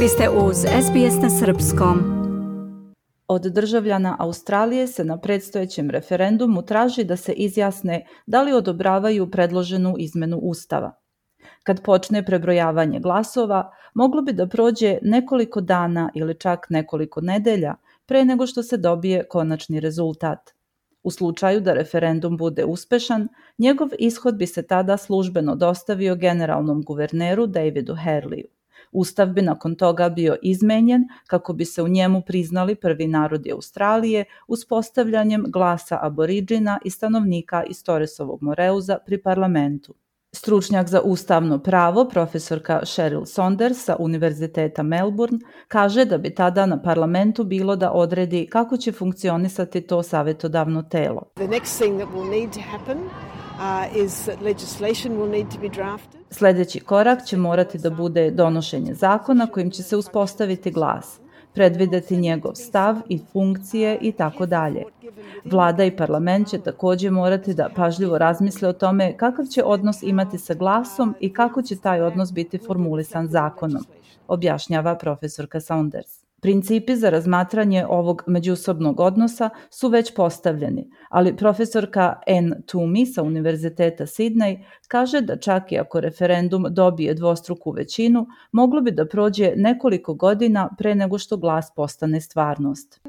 Vi ste uz SBS na Srpskom. Od državljana Australije se na predstojećem referendumu traži da se izjasne da li odobravaju predloženu izmenu Ustava. Kad počne prebrojavanje glasova, moglo bi da prođe nekoliko dana ili čak nekoliko nedelja pre nego što se dobije konačni rezultat. U slučaju da referendum bude uspešan, njegov ishod bi se tada službeno dostavio generalnom guverneru Davidu Harleyu. Ustav bi nakon toga bio izmenjen kako bi se u njemu priznali prvi narodi Australije uspostavljanjem glasa aboriđina i stanovnika iz Torresovog Moreuza pri parlamentu. Stručnjak za ustavno pravo, profesorka Cheryl Saunders sa Univerziteta Melbourne, kaže da bi tada na parlamentu bilo da odredi kako će funkcionisati to savjetodavno telo. Sljedeći korak će morati da bude donošenje zakona kojim će se uspostaviti glas, predvideti njegov stav i funkcije i tako dalje. Vlada i parlament će također morati da pažljivo razmisle o tome kakav će odnos imati sa glasom i kako će taj odnos biti formulisan zakonom, objašnjava profesorka Saunders. Principi za razmatranje ovog međusobnog odnosa su već postavljeni, ali profesorka Anne Toomey sa Univerziteta Sydney kaže da čak i ako referendum dobije dvostruku većinu, moglo bi da prođe nekoliko godina pre nego što glas postane stvarnost.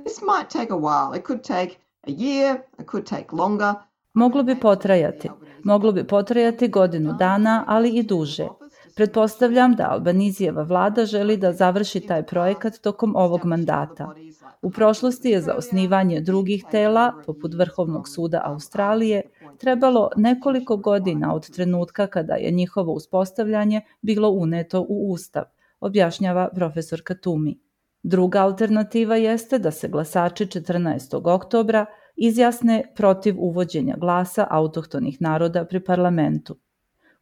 Moglo bi potrajati godinu dana, ali i duže. Pretpostavljam da Albanizijeva vlada želi da završi taj projekat tokom ovog mandata. U prošlosti je za osnivanje drugih tela, poput Vrhovnog suda Australije, trebalo nekoliko godina od trenutka kada je njihovo uspostavljanje bilo uneto u Ustav, objašnjava profesorka Toomey. Druga alternativa jeste da se glasači 14. oktobra izjasne protiv uvođenja glasa autohtonih naroda pri parlamentu.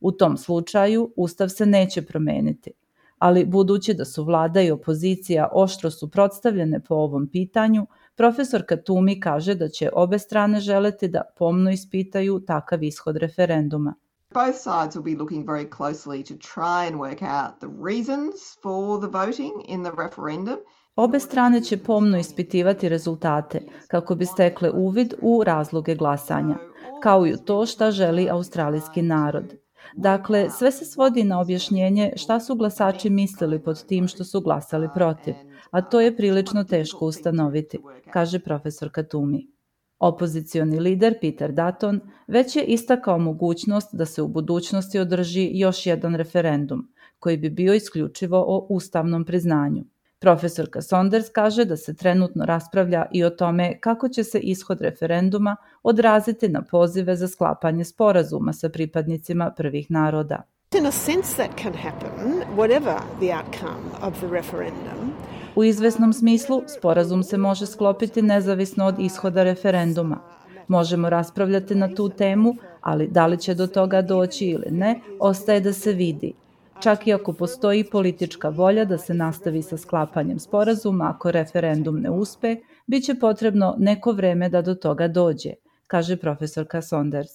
U tom slučaju Ustav se neće promeniti, ali budući da su vlada i opozicija oštro suprotstavljene po ovom pitanju, profesorka Toomey kaže da će obe strane želeti da pomno ispitaju takav ishod referenduma. Both sides will be looking very closely to try and work out the reasons for the voting in the referendum. Obe strane će pomno ispitivati rezultate kako bi stekle uvid u razloge glasanja, kao i u to šta želi australijski narod. Dakle, sve se svodi na objašnjenje šta su glasači mislili pod tim što su glasali protiv, a to je prilično teško ustanoviti, kaže profesorka Toomey. Opozicioni lider Peter Dutton već je istakao mogućnost da se u budućnosti održi još jedan referendum, koji bi bio isključivo o ustavnom priznanju. Profesorka Saunders kaže da se trenutno raspravlja i o tome kako će se ishod referenduma odraziti na pozive za sklapanje sporazuma sa pripadnicima prvih naroda. U izvesnom smislu, sporazum se može sklopiti nezavisno od ishoda referenduma. Možemo raspravljati na tu temu, ali da li će do toga doći ili ne, ostaje da se vidi. Čak i ako postoji politička volja da se nastavi sa sklapanjem sporazuma ako referendum ne uspe, bit će potrebno neko vreme da do toga dođe, kaže profesorka Saunders.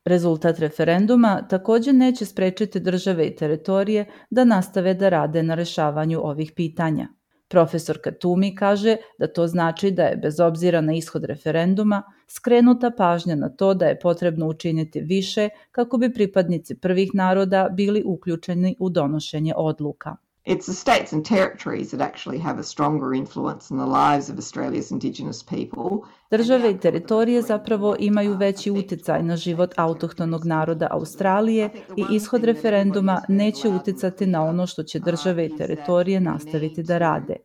Rezultat referenduma također neće sprečiti države i teritorije da nastave da rade na rešavanju ovih pitanja. Profesorka Toomey kaže da to znači da je, bez obzira na ishod referenduma, skrenuta pažnja na to da je potrebno učiniti više kako bi pripadnici prvih naroda bili uključeni u donošenje odluka. It's the states and territories that actually have a stronger influence in the lives of Australia's Indigenous people. Države i teritorije zapravo imaju veći uticaj na život autohtonog naroda Australije i ishod referenduma neće uticati na ono što će države i teritorije nastaviti da rade.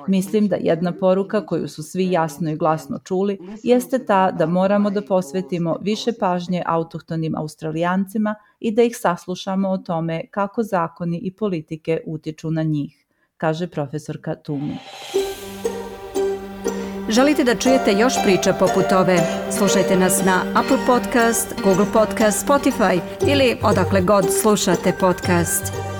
Mislim da jedna poruka koju su svi jasno i glasno čuli jeste ta da moramo da posvetimo više pažnje autohtonim Australijancima i da ih saslušamo o tome kako zakoni i politike utiču na njih, kaže profesorka Toomey. Želite da čujete još priča poput ove? Slušajte nas na Apple Podcast, Google Podcast, Spotify ili odakle god slušate podcast.